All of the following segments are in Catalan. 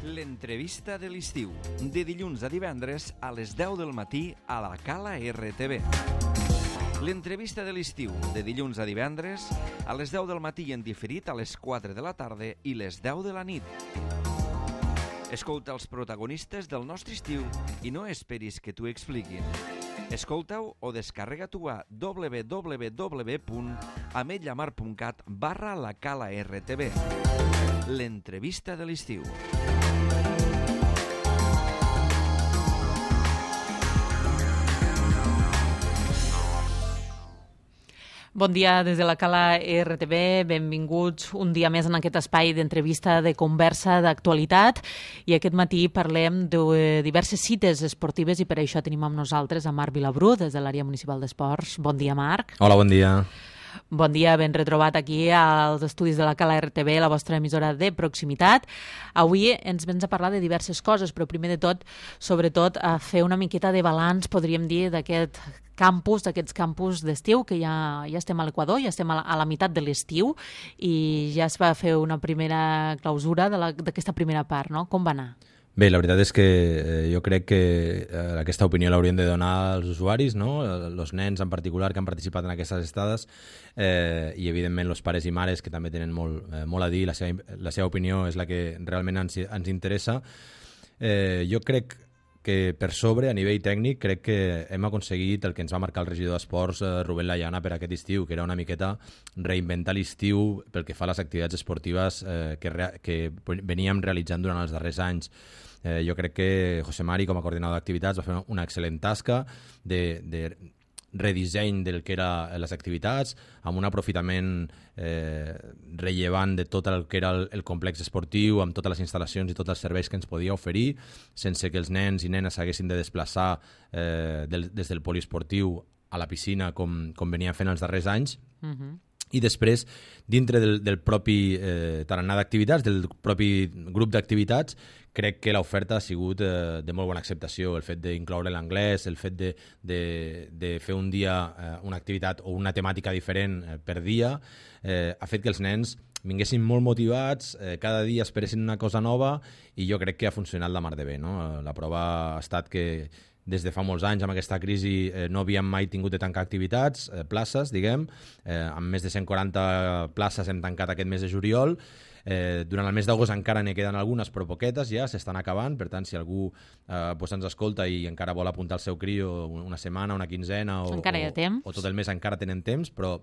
L'entrevista de l'estiu, de dilluns a divendres a les 10 del matí a la Cala RTV. L'entrevista de l'estiu, de dilluns a divendres a les 10 del matí i en diferit a les 4 de la tarda i les 10 de la nit. Escolta els protagonistes del nostre estiu i no esperis que t'ho expliquin. Escolta-ho o descarrega-t'ho a www.ametlllamar.cat/la-cala-rtv. L'entrevista de l'estiu. Bon dia des de la Cala RTV, benvinguts un dia més en aquest espai d'entrevista, de conversa, d'actualitat. I aquest matí parlem de diverses cites esportives i per això tenim amb nosaltres a Marc Vilabrú, des de l'àrea municipal d'esports. Bon dia, Marc. Hola, bon dia. Bon dia, ben retrobat aquí als estudis de la Cala RTV, la vostra emissora de proximitat. Avui ens vens a parlar de diverses coses, però primer de tot, sobretot, a fer una miqueta de balanç, podríem dir, d'aquests campus d'estiu, que ja estem a l'Equador, ja estem a la meitat de l'estiu i ja es va fer una primera clausura d'aquesta primera part, no? Com va anar? Bé, la veritat és que jo crec que aquesta opinió l'haurien de donar als usuaris, no? Els nens en particular que han participat en aquestes estades i evidentment els pares i mares que també tenen molt a dir, la seva opinió és la que realment ens interessa. Jo crec que per sobre, a nivell tècnic, crec que hem aconseguit el que ens va marcar el regidor d'Esports, Rubén Layana, per aquest estiu, que era una miqueta reinventar l'estiu pel que fa a les activitats esportives que veníem realitzant durant els darrers anys. Jo crec que José Mari, com a coordinador d'activitats, va fer una excel·lent tasca de redisseny del que eren les activitats, amb un aprofitament rellevant de tot el que era el complex esportiu, amb totes les instal·lacions i tots els serveis que ens podia oferir, sense que els nens i nenes s'haguessin de desplaçar des del poliesportiu a la piscina com venien fent els darrers anys. I després, dintre del propi tarannà d'activitats, del propi grup d'activitats, crec que l'oferta ha sigut de molt bona acceptació. El fet d'incloure l'anglès, el fet de fer un dia una activitat o una temàtica diferent per dia, ha fet que els nens vinguessin molt motivats, cada dia esperessin una cosa nova i jo crec que ha funcionat la mar de bé, no? La prova ha estat que des de fa molts anys, amb aquesta crisi, no havíem mai tingut de tancar activitats, places, diguem. Amb més de 140 places hem tancat aquest mes de juliol. Durant el mes d'agost encara n'hi queden algunes, però poquetes ja, s'estan acabant. Per tant, si algú ens escolta i encara vol apuntar el seu crio una setmana, una quinzena o tot el mes, encara tenen temps, però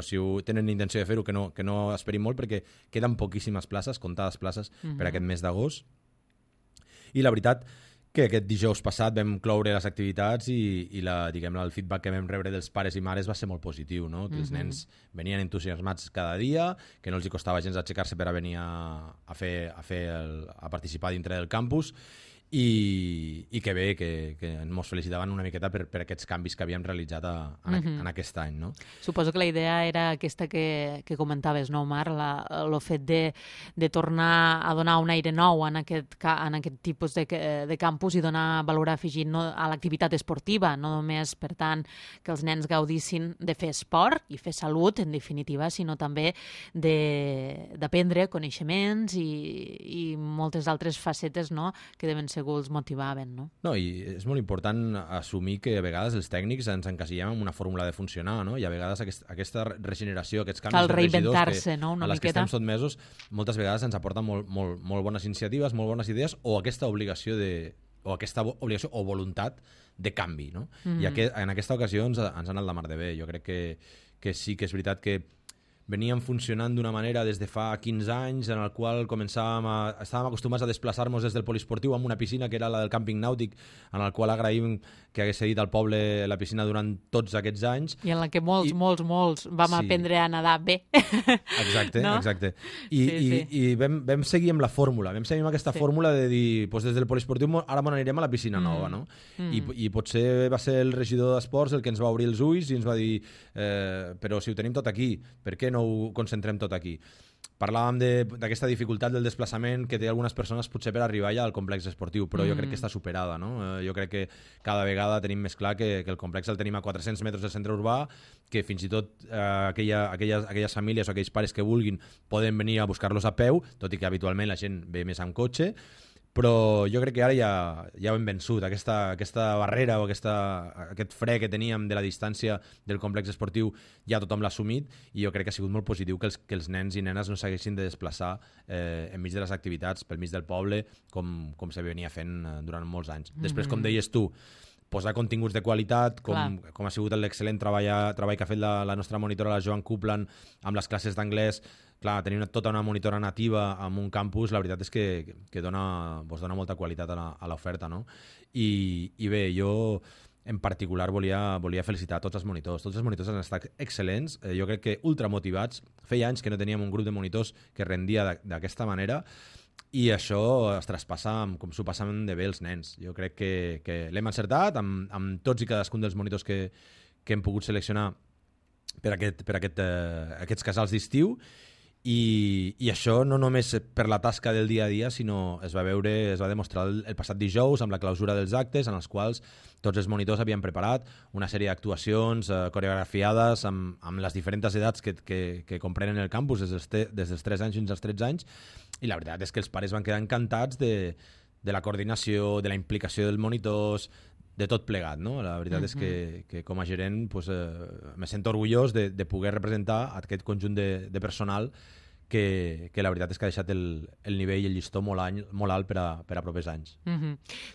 si tenen intenció de fer-ho, que no esperin molt, perquè queden poquíssimes places, comptades places per aquest mes d'agost. I la veritat que aquest dijous passat vam cloure les activitats i el feedback que vam rebre dels pares i mares va ser molt positiu, no? Que els nens venien entusiasmats cada dia, que no els costava gens aixecar-se per a venir a participar dintre del campus i que bé, que ens felicitaven una miqueta per aquests canvis que havíem realitzat en aquest any, no? Suposo que la idea era aquesta que comentaves, no, Marc? El fet de tornar a donar un aire nou en aquest tipus de campus i donar valor afegit a l'activitat esportiva, no només, per tant, que els nens gaudissin de fer esport i fer salut, en definitiva, sinó també d'aprendre coneixements i moltes altres facetes, no?, que deuen ser els motivaven, no? No, i és molt important assumir que a vegades els tècnics ens encasillem en una fórmula de funcionar, no? I a vegades aquesta regeneració, aquests canvis de regidors a les que estem sotmesos, moltes vegades ens aporten molt bones iniciatives, molt bones idees, o aquesta obligació o voluntat de canvi, no? I en aquesta ocasió ens ha anat la mar de bé. Jo crec que sí que és veritat que veníem funcionant d'una manera des de fa 15 anys en el qual estàvem acostumats a desplaçar-nos des del poliesportiu amb una piscina que era la del càmping nàutic, en el qual agraïm que hagués cedit al poble la piscina durant tots aquests anys. I en la que molts vam aprendre a nedar bé. Exacte, no? Exacte. I vam seguir amb la fórmula, vam seguir amb aquesta fórmula de dir, des del poliesportiu ara n'anirem a la piscina nova, no? I potser va ser el regidor d'Esports el que ens va obrir els ulls i ens va dir però si ho tenim tot aquí, per què no ho concentrem tot aquí? Parlàvem d'aquesta dificultat del desplaçament que té algunes persones potser per arribar ja al complex esportiu, però jo crec que està superada, no? Jo crec que cada vegada tenim més clar que el complex el tenim a 400 metres del centre urbà, que fins i tot aquelles famílies o aquells pares que vulguin poden venir a buscar-los a peu, tot i que habitualment la gent ve més amb cotxe, però jo crec que ara ja ho hem vençut, aquesta barrera o aquest fre que teníem de la distància del complex esportiu ja tothom l'ha assumit, i jo crec que ha sigut molt positiu que els nens i nenes no s'haguessin de desplaçar enmig de les activitats, pel mig del poble, com se venia fent durant molts anys. Després, com deies tu, posar continguts de qualitat, com ha sigut l'excel·lent treball que ha fet la nostra monitora, la Joan Coupland, amb les classes d'anglès. Clar, tenir tota una monitora nativa en un campus, la veritat és que dona molta qualitat a l'oferta, no? I bé, jo en particular volia felicitar tots els monitors. Tots els monitors han estat excel·lents, jo crec que ultramotivats. Feia anys que no teníem un grup de monitors que rendia d'aquesta manera, i això es traspassa com s'ho passen de bé els nens. Jo crec que l'hem encertat amb tots i cadascun dels monitors que hem pogut seleccionar per aquests casals d'estiu, i això no només per la tasca del dia a dia, sinó es va demostrar el passat dijous amb la clausura dels actes, en els quals tots els monitors havien preparat una sèrie d'actuacions coreografiades amb les diferents edats que comprenen el campus, des dels 3 anys fins als 13 anys, i la veritat és que els pares van quedar encantats de la coordinació, de la implicació dels monitors, de tot plegat, no? La veritat és que com a gerent me sento orgullós de poder representar aquest conjunt de personal que la veritat és que ha deixat el nivell i el llistó molt alt per a propers anys.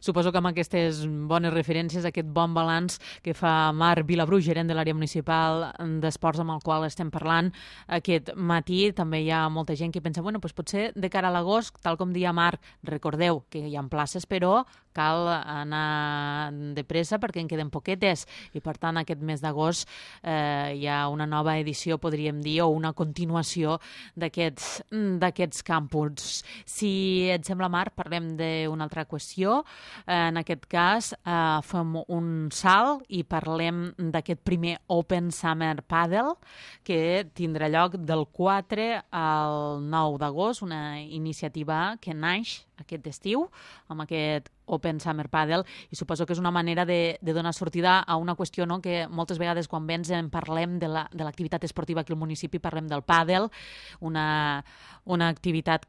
Suposo que amb aquestes bones referències, aquest bon balanç que fa Marc Vilabrú, gerent de l'àrea municipal d'esports amb el qual estem parlant aquest matí, també hi ha molta gent que pensa, potser de cara a l'agost, tal com deia Marc, recordeu que hi ha places, però cal anar de pressa perquè en queden poquetes, i per tant aquest mes d'agost hi ha una nova edició, podríem dir, o una continuació d'aquests campus. Si et sembla, Marc, parlem d'una altra qüestió. En aquest cas fem un salt i parlem d'aquest primer Open Summer Padel que tindrà lloc del 4 al 9 d'agost, una iniciativa que naix aquest estiu amb aquest Open Summer Padel, i suposo que és una manera de donar sortida a una qüestió, no?, que moltes vegades quan vens en parlem de l'activitat esportiva aquí al municipi, parlem del pàdel, una activitat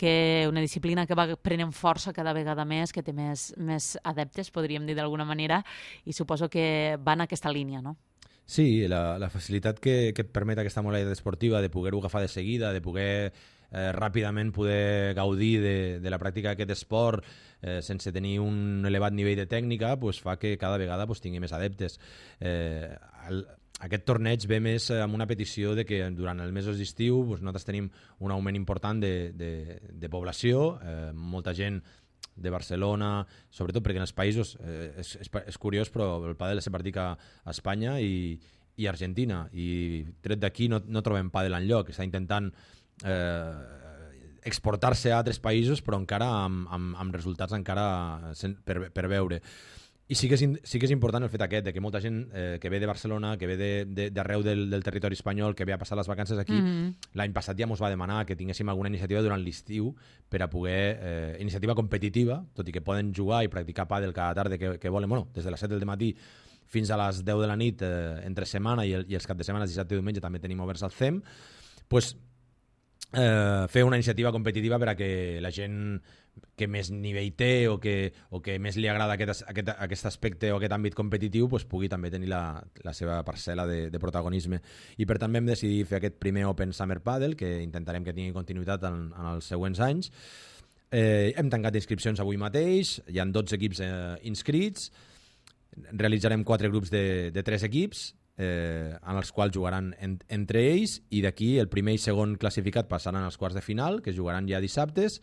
una disciplina que va prenent força cada vegada més, que té més adeptes, podríem dir d'alguna manera, i suposo que va en aquesta línia, no? Sí, la facilitat que et permet aquesta modalitat esportiva de poder-ho agafar de seguida, de poder ràpidament poder gaudir de la pràctica d'aquest esport sense tenir un elevat nivell de tècnica, fa que cada vegada tingui més adeptes. Aquest torneig ve més amb una petició de que durant els mesos d'estiu nosaltres tenim un augment important de població, molta gent de Barcelona, sobretot perquè en els països, és curiós, però el pàdel se practica a Espanya i Argentina, i tret d'aquí no trobem pàdel enlloc. Està intentant exportar-se a altres països, però encara amb resultats encara per veure. I sí que és important el fet aquest, de que molta gent que ve de Barcelona, que ve d'arreu del territori espanyol, que ve a passar les vacances aquí, l'any passat ja ens va demanar que tinguéssim alguna iniciativa durant l'estiu per a poder, iniciativa competitiva, tot i que poden jugar i practicar pàdel cada tarda que volen, des de les 7 del matí fins a les 10 de la nit entre setmana, i els caps de setmana, dissabte i diumenge, també tenim oberts al CEM, fer una iniciativa competitiva per a que la gent que més nivell té o que més li agrada aquest aspecte o aquest àmbit competitiu pugui també tenir la seva parcel·la de protagonisme. I per tant vam decidir fer aquest primer Open Summer Padel, que intentarem que tingui continuïtat en els següents anys. Hem tancat inscripcions avui mateix, hi ha 12 equips inscrits, realitzarem 4 grups de 3 equips, en els quals jugaran entre ells, i d'aquí el primer i segon classificat passaran als quarts de final, que es jugaran ja dissabtes,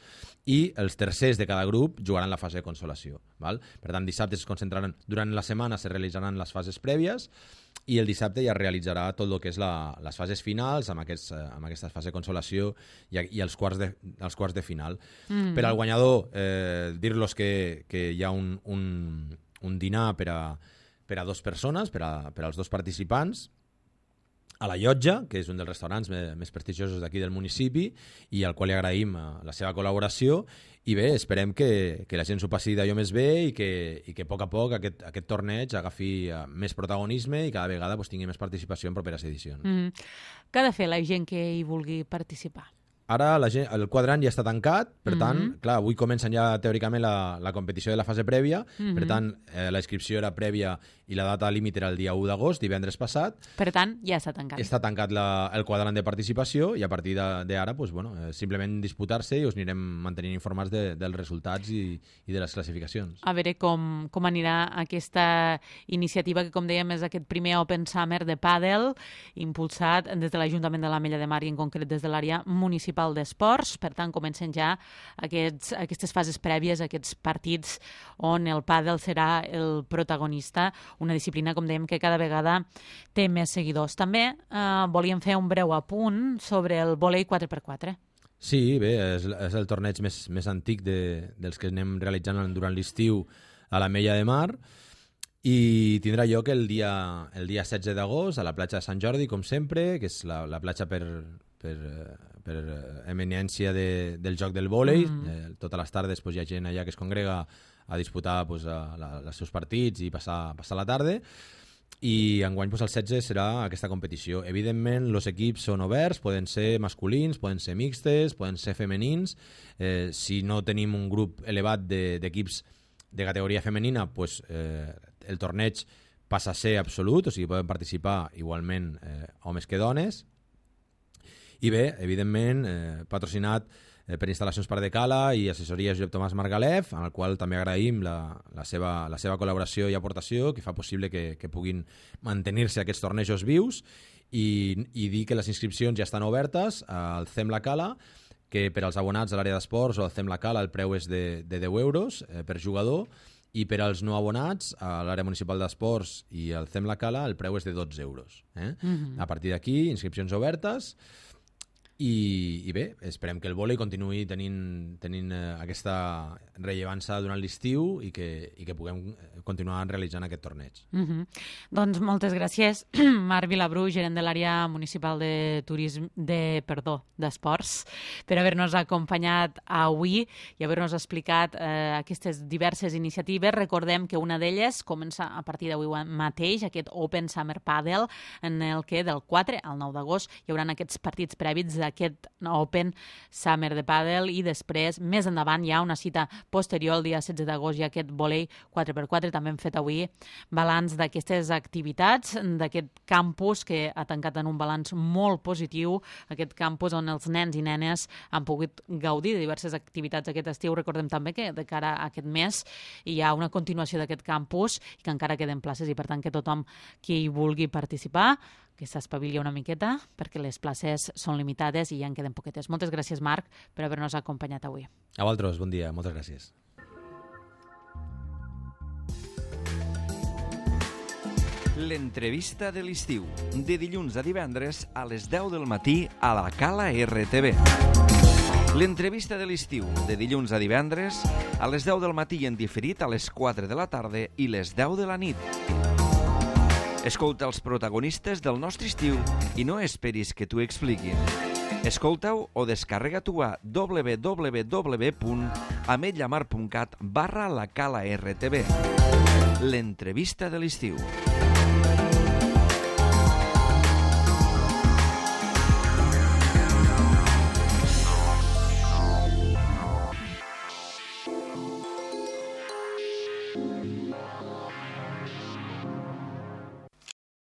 i els tercers de cada grup jugaran la fase de consolació. Per tant, dissabte es concentraran, durant la setmana se realitzaran les fases prèvies, i el dissabte ja realitzarà tot el que és les fases finals amb aquesta fase de consolació i els quarts de final. Per al guanyador, dir-los que hi ha un dinar per a 2 persones, per als 2 participants, a la Llotja, que és un dels restaurants més prestigiosos d'aquí del municipi, i al qual li agraïm la seva col·laboració. I bé, esperem que la gent s'ho passi d'allò més bé i que a poc aquest torneig agafi més protagonisme i cada vegada tingui més participació en properes edicions. Què ha de fer la gent que hi vulgui participar? Ara el quadrant ja està tancat, per tant, clar, avui comencen ja teòricament la competició de la fase prèvia, per tant, la inscripció era prèvia i la data límit era el dia 1 d'agost, divendres passat. Per tant, ja està tancat. Està tancat el quadrant de participació i a partir d'ara, pues, bueno, simplement disputar-se i us anirem mantenint informats dels resultats i de les classificacions. A veure com anirà aquesta iniciativa que, com dèiem, és aquest primer Open Summer de pàdel, impulsat des de l'Ajuntament de l'Ametlla de Mar i en concret des de l'àrea municipal d'esports. Per tant, comencen ja aquestes fases prèvies, aquests partits on el pàdel serà el protagonista, una disciplina, com dèiem, que cada vegada té més seguidors. També volíem fer un breu apunt sobre el vòlei 4x4. Sí, bé, és el torneig més antic dels que anem realitzant durant l'estiu a l'Ametlla de Mar i tindrà lloc el dia 16 d'agost a la platja de Sant Jordi, com sempre, que és la platja per eminència del joc del vòlei. Totes les tardes hi ha gent allà que es congrega a disputar els seus partits i passar la tarda. I enguany el 16 serà aquesta competició. Evidentment, els equips són oberts, poden ser masculins, poden ser mixtes, poden ser femenins. Si no tenim un grup elevat d'equips de categoria femenina, el torneig passa a ser absolut, o sigui, poden participar igualment homes que dones. I bé, evidentment, patrocinat per Instal·lacions Pardecala i assessoria Josep Tomàs Margalef, en el qual també agraïm la seva col·laboració i aportació, que fa possible que puguin mantenir-se aquests tornejos vius, i dir que les inscripcions ja estan obertes al CEM La Cala, que per als abonats a l'àrea d'esports o al CEM La Cala el preu és de 10 euros per jugador, i per als no abonats a l'àrea municipal d'esports i al CEM La Cala el preu és de 12 euros. A partir d'aquí, inscripcions obertes. I bé, esperem que el vòlei continuï tenint aquesta rellevància durant l'estiu i que puguem continuar realitzant aquest torneig. Doncs moltes gràcies, Marc Vilabru, gerent de l'àrea municipal d'esports, per haver-nos acompanyat avui i haver-nos explicat aquestes diverses iniciatives. Recordem que una d'elles comença a partir d'avui mateix, aquest Open Summer Padel, en el que del 4 al 9 d'agost hi haurà aquests partits prèvits d'aquest Open Summer de Padel i després, més endavant, hi ha una cita posterior, el dia 16 d'agost, hi ha aquest vòlei 4x4. També hem fet avui balanç d'aquestes activitats, d'aquest campus que ha tancat en un balanç molt positiu, aquest campus on els nens i nenes han pogut gaudir de diverses activitats aquest estiu. Recordem també que de cara a aquest mes hi ha una continuació d'aquest campus i que encara queden places i per tant que tothom qui vulgui participar que s'espavili una miqueta perquè les places són limitades i ja en queden poquetes. Moltes gràcies, Marc, per haver-nos acompanyat avui. A vosaltres, bon dia, moltes gràcies. L'entrevista de l'estiu, de dilluns a divendres a les 10 del matí a la Cala RTV. L'entrevista de l'estiu, de dilluns a divendres a les 10 del matí en diferit a les 4 de la tarda i les 10 de la nit. Escolta els protagonistes del nostre estiu i no esperis que t'ho expliquin. Escolta-ho o descarrega-t'ho a www.ametllamar.cat/la Cala RTV. L'entrevista de l'estiu.